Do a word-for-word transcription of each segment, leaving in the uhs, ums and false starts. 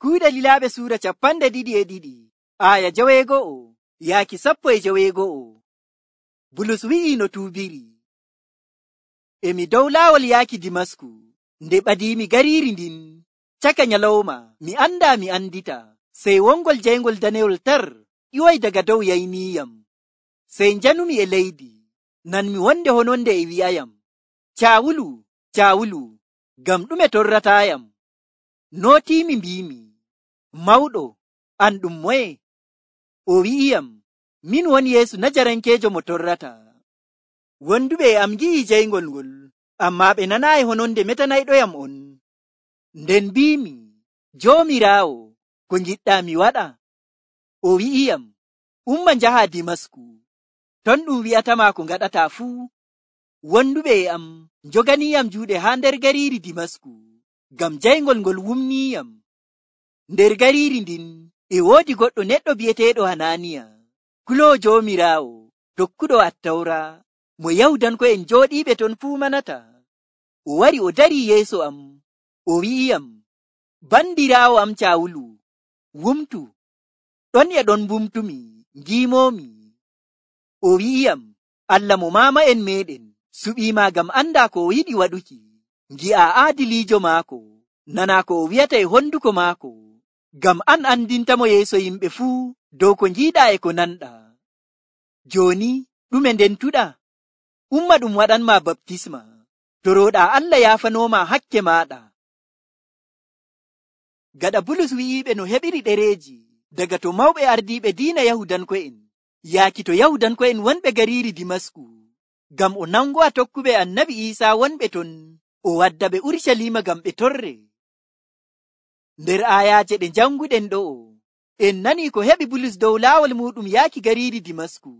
Kuuɗe Lilaaɓe suura capanɗe ɗiɗi e ɗiɗi, aaya jaweego'o yaaki sappo e jaweego'o. Bulus wi'ii no tuubiri. Emi dow laawol yaaki Dimasku, nde ɓadiimi gariiri ndin, caka nyalawma mi andaa mi andita, sey wongol jayngol daneyol tar ƴiwoy daga dow yayniiyam. Sey njanumi e leydi, nanmi wonde hononde e wi'ayam, Caawulu, Caawulu, ngam ɗume torrataayam? Nootiimi mbiimi, Mawɗo, an ɗum moye? O wi'iyam, min woni Yeesu Najarankeejo mo torrata. Wonduɓe e am ngi'i jayngol ngol, ammaa ɓe nanaayi hononde metanayɗoyam on. Nden mbiimi, Joomiraawo, ko ngiɗɗaa mi waɗa? O wi'iyam, umma njaha Dimasku, ton ɗum wi'atama ko ngaɗataa fuu. Wonduɓe e am njoganiiyam juuɗe haa nder gariiri Dimasku, ngam jayngol ngol wumniiyam. Nder gariiri ndin e woodi goɗɗo neɗɗo bi'eteeɗo Hanaaniya, kuloowo Joomiraawo, tokkuɗo Attawra, mo Yahudanko'en jooɗiiɓe ton fuu manata. O wari o darii yeeso am, o wi'iyam, bandiraawo am Caawulu, wumtu. Ɗon e ɗon mbumtumi, ngiimoomi. O wi'iyam, Allah mo maama'en meeɗen suɓiima ngam andaa ko o yiɗi waɗuki, ngi'aa aadiliijo maako, nanaa ko o wi'ata e honduko maako, ngam an andintamo yeeso yimɓe fuu dow ko njiiɗaa e ko nanɗaa. Jooni ɗume ndentuɗaa? Umma ɗum waɗanma baptisma, torooɗaa Allah yaafanooma hakke maaɗa. Gaɗa Bulus wi'iiɓe no heɓiri ɗereeji daga to mawɓe ardiiɓe diina Yahudanko'en yaaki to Yahudanko'en wonɓe gariiri Dimasku, ngam o nango'a tokkuɓe Annabi Iisaa wonɓe ton, o wadda ɓe Urucaliima ngam ɓe torre. Nder aayaaje ɗe janguɗen ɗo'o, en nanii ko heɓi Bulus dow laawol muɗum yaaki gariiri Dimasku.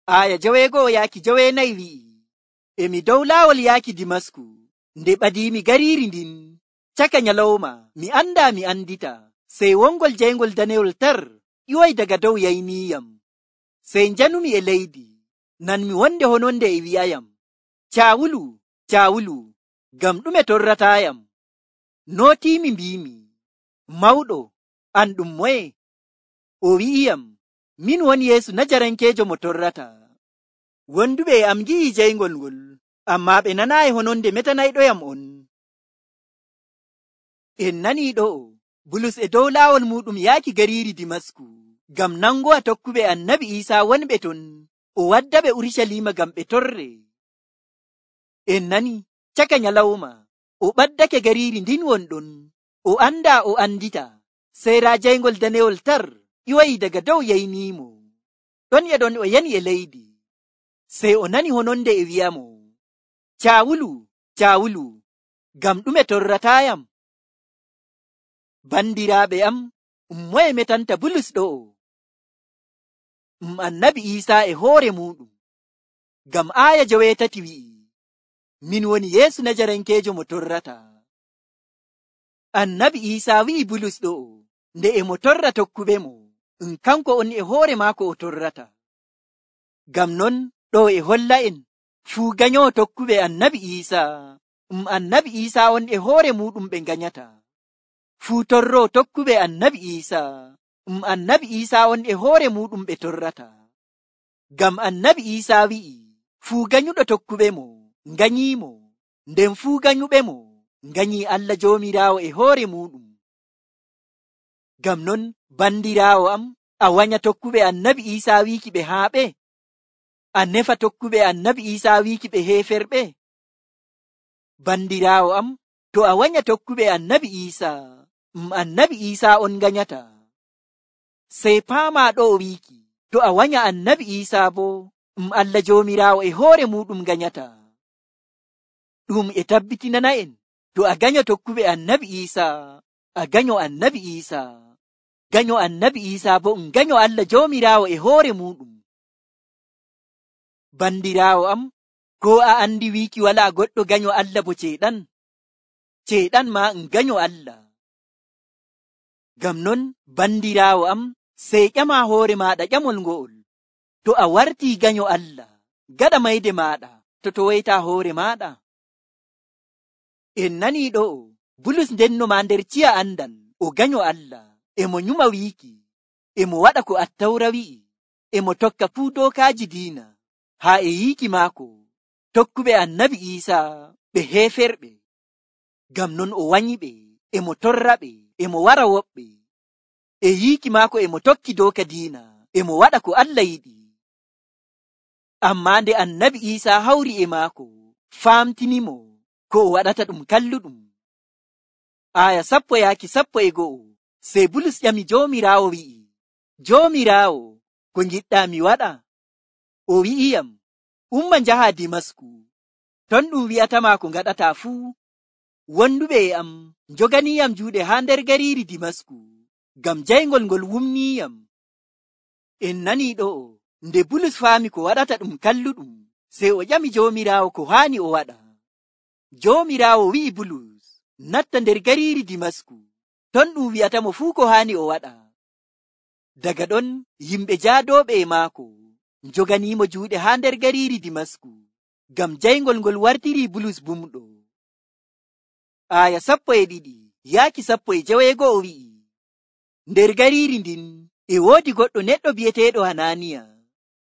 Aaya jaweego'o yaaki jaweenayi wi'i, emi dow laawol yaaki Dimasku, nde ɓadiimi gariiri ndin, caka nyalawma mi andaa mi andita, sey wongol jayngol daneyol tar ƴiwoy daga dow yayniiyam. Sey njanumi e leydi, nanmi wonde hononde e wi'ayam, Caawulu, Caawulu, ngam ɗume torrataayam? Nootiimi mbiimi, Mawɗo, an ɗum moye? O wi'iyam, min woni Yeesu Najarankeejo mo torrata. Wonduɓe e am ngi'i jayngol ngol, ammaa ɓe nanaayi hononde metanayɗoyam on. En nanii ɗo'o, Bulus e dow laawol muɗum yaaki gariiri Dimasku, ngam nango'a tokkuɓe Annabi Iisaa wonɓe ton, o wadda ɓe Urucaliima ngam ɓe torre. En nani caka nyalawma, o ɓaddake gariiri ndin wonɗon, o andaa o andita, sey raa jayngol daneyol tar ƴiwoyi daga dow yayniimo. Ɗon e ɗon o yani e leydi, sey o nani hononde e wi'amo, Caawulu, Caawulu, ngam ɗume torrataayam? Bandiraaɓe am, um moye metanta Bulus ɗo'o? Um Annabi Iisaa e hoore muɗum, ngam aaya jaweetati wi'i, min woni Yeesu Najarankeejo mo torrata. Annabi Iisaa wi'i Bulus ɗo'o, nde e mo torra tokkuɓe mo, um kanko on e hoore maako o torrata. Ngam non ɗo e holla'en, fuu ganyowo tokkuɓe Annabi Iisaa, um Annabi Iisaa on e hoore muɗum ɓe nganyata. Fuu torro tokkuɓe Annabi Iisaa, um Annabi Iisaa on e hoore muɗum ɓe torrata. Ngam Annabi Iisaa wi'i, fuu ganyuɗo tokkuɓe mo, nganyiimo, nden fuu ganyuɓe mo, nganyii Allah Joomiraawo e hoore muɗum. Ngam non, bandiraawo am, a wanya tokkuɓe Annabi Iisaa wiiki ɓe haaɓe? A nefa tokkuɓe Annabi Iisaa wiiki ɓe heeferɓe? Bandiraawo am, to a wanya tokkuɓe Annabi Iisaa, um Annabi Iisaa on nganyata. Sey paamaa ɗo o wiiki, to a wanya Annabi Iisaa bo, um Allah Joomiraawo e hoore muɗum nganyata. Ɗum e tabbitinana en, to a ganyo tokkuɓe Annabi Iisaa, a ganyo Annabi Iisaa. Ganyo Annabi Iisaa bo um ganyo Allah Joomiraawo e hoore muɗum. Bandiraawo am, ko a andi wiiki walaa goɗɗo ganyo Allah bo ceeɗan? Ceeɗan ma um ganyo Allah. Ngam non, bandiraawo am, sey ƴama hoore maaɗa ƴamol ngo'ol. To a wartii ganyo Allah, gaɗa mayde maaɗa to to woyta hoore maaɗa. En nanii ɗo'o, Bulus ndenno ma nder ciya andal o ganyo Allah, emo nyuma wiiki, emo waɗa ko Attawra wi'i, emo tokka fuu dookaaji diina, haa e yiiki maako tokkuɓe annabi Iisa ɓe heeferɓe. Ngam non o wanyiɓe, emo torraɓe, emo wara woɓɓe. E yiiki maako emo tokki dooka diina, emo waɗa ko Allah yiɗi. Ammaa nde annabi Iisa hawri e maako, faamtinimo ko o waɗata ɗum kalluɗum. Aya sappo yaaki sappo e go'o. Sey Bulus ƴami Joomiraawo wi'i, Joomiraawo, ko ngiɗɗaa mi waɗa? O wi'iyam, umma njaha Dimasku. Ton ɗum wi'atama ko ngaɗata fuu. Wonduɓe e am njoganiyam juuɗe haa nder gariiri Dimasku, ngam jayngol ngol wumniyam. En nanii ɗo'o, nde Bulus faami ko waɗata ɗum kalluɗum, sey o ƴami Joomiraawo ko haani o waɗa. Joomiraawo wi'i Bulus, natta nder gariiri Dimasku. Ton ɗum wi'atamo fuu ko haani o waɗa. Daga ɗon yimɓe jaadooɓe e maako njoganiimo juuɗe haa nder gariiri Dimasku, ngam jayngol ngol wartiri Bulus bumɗo. Aya sappo e ɗiɗi yaaki sappo e jeweego o wi'i, nder gariiri ndin e woodi goɗɗo neɗɗo bi'eteeɗo Hananiya,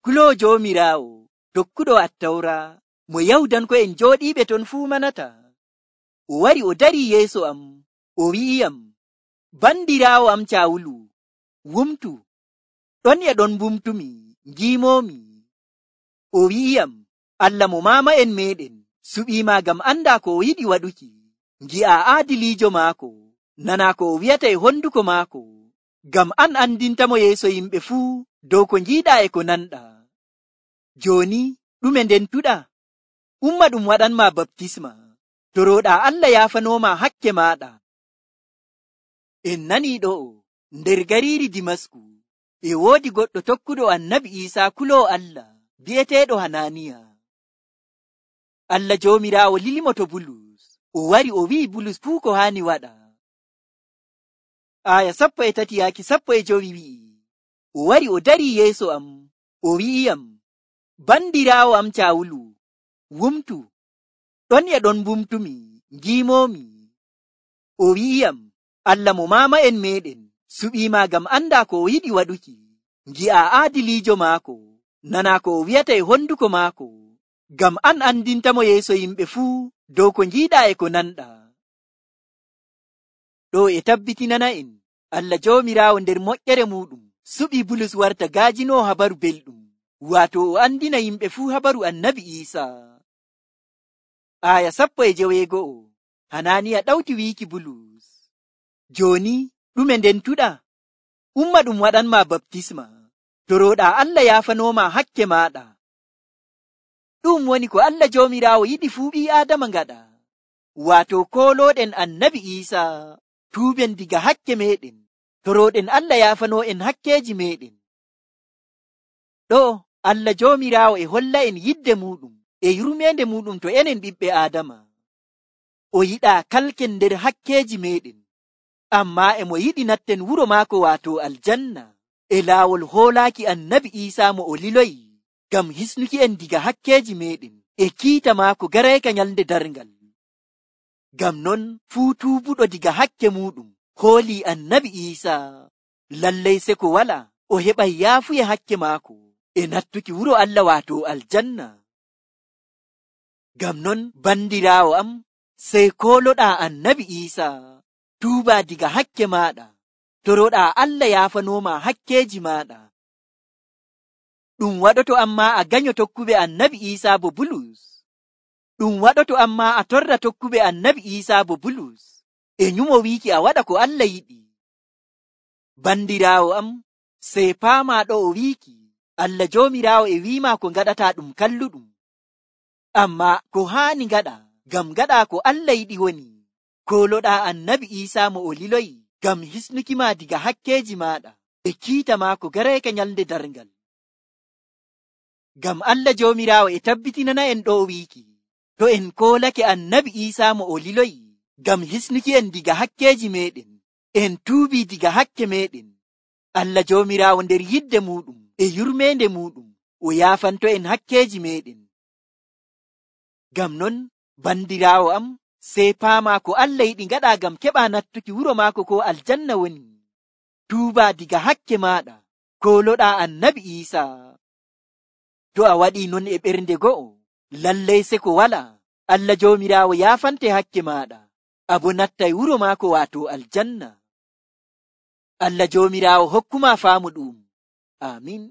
kuloowo Joomiraawo, tokkuɗo Attawra, mo Yahudanko'en jooɗiiɓe ton fuu manata. O wari o darii yeeso am, o wi'iyam, bandiraawo am Caawulu, wumtu. Ɗon e ɗon bumtumi, ngiimoomi. O wi'iyam, Allah mo maama'en meeɗen suɓiima ngam anda ko o yiɗi waɗuki. Ngi'a aadiliijo maako, nana ko o wi'ata e honduko maako, ngam an andintamo yeeso yimɓe fuu dow ko ngiiɗaa e ko nanɗaa. Jooni ɗume ndentuɗa? Umma ɗum waɗanma baptisma, torooɗaa Allah yaafanooma hakke maaɗa. En nanii ɗo'o, nder gariiri Dimasku, e woodi goɗɗo tokkuɗo annabi Iisa kuloowo Allah, bi'eteeɗo Hananiya. Allah Joomiraawo lilimo to Bulus, o wari o wi'i Bulus fuu ko haani waɗa. Aya sappo e tati yaaki sappo e jowi wi'i, o wari o darii yeeso am, o wi'iyam, bandiraawo am Caawulu, wumtu. Ɗon e ɗon bumtumi, ngiimoomi. O wi'iyam, Allah mo maama'en meeɗen suɓiima ngam anda ko o yiɗi waɗuki. Ngi'a aadiliijo maako, nana ko o wi'ata e honduko maako, ngam an andintamo yeeso yimɓe fuu dow ko ngiiɗaa e ko nanɗaa. Ɗo e tabbitinana en, Allah Joomiraawo nder moƴƴere muɗum suɓi Bulus warta gaajinoo habaru belɗum, waato o andina yimɓe fuu habaru annabi Iisa. Aya sappo e jeweego'o. Hananiya ɗawti wiiki Bulus, jooni ɗume ndentuɗa? Umma ɗum waɗanma baptisma, torooɗaa Allah yaafanooma hakke maaɗa. Ɗum woni ko Allah Joomiraawo yiɗi fuu ɓii Aadama ngaɗa, waato koolooɗen annabi Iisa, tuuben diga hakke meeɗen, torooɗen Allah yaafanoo en hakkeeji meeɗen. Ɗo Allah Joomiraawo e holla en yidde muɗum e yurmeende muɗum to enen ɓiɓɓe Aadama. O yiɗaa kalken nder hakkeeji meeɗen, ammaa emo yiɗi natten wuro maako waato aljanna, e laawol hoolaaki annabi Iisa mo o liloyi, ngam hisnuki en diga hakkeeji meeɗen e kiita maako garayka nyalnde darngal. Ngam non fuu tuubuɗo diga hakke muɗum hoolii annabi Iisa, lallay se ko wala o heɓay yaafuye hakke maako e nattuki wuro Allah waato aljanna. Ngam non bandiraawo am, sey kooloɗaa annabi Iisa, tuuba diga hakke maaɗa, toroɗaa Allah yaafanooma hakkeeji maaɗa. Ɗum waɗoto amma a ganyo tokkuɓe annabi Iisa bo Bulus. Ɗum waɗoto amma a torra tokkuɓe annabi Iisa bo Bulus, e nyumo wiiki a waɗa ko Allah yiɗi. Bandiraawo am, sey paama ɗo o wiiki, Allah Joomiraawo e wiima ko ngaɗata ɗum kalluɗum. Amma ko haani ngaɗa, ngam ngaɗa ko Allah yiɗi woni, kooloɗaa annabi Iisa mo o liloyi, ngam hisnuki ma diga hakkeeji maaɗa e kiita maako garayka nyalnde darngal. Ngam Allah Joomiraawo e tabbitinana en ɗo wiiki, to en koolake annabi Iisa mo o liloyi, ngam hisnuki en diga hakkeeji meɗen, en tuubi diga hakke meɗen, Allah Joomiraawo nder yidde muɗum e yurmeende muɗum o yaafanto en hakkeeji meɗen. Ngam non bandiraawo am, sey paamaa ko Allah yiɗi ngaɗa ngam keɓa nattuki wuro maako ko aljanna woni tuuba diga hakke maaɗa kooloɗaa annabi Iisaa. To a waɗii non e ɓernde go'o, lallay seko walaa. Allah Joomiraawo yaafante hakke maaɗa, abo nattay wuro maako waato aljanna. Allah Joomiraawo hokkuma faamu ɗum. Aamin.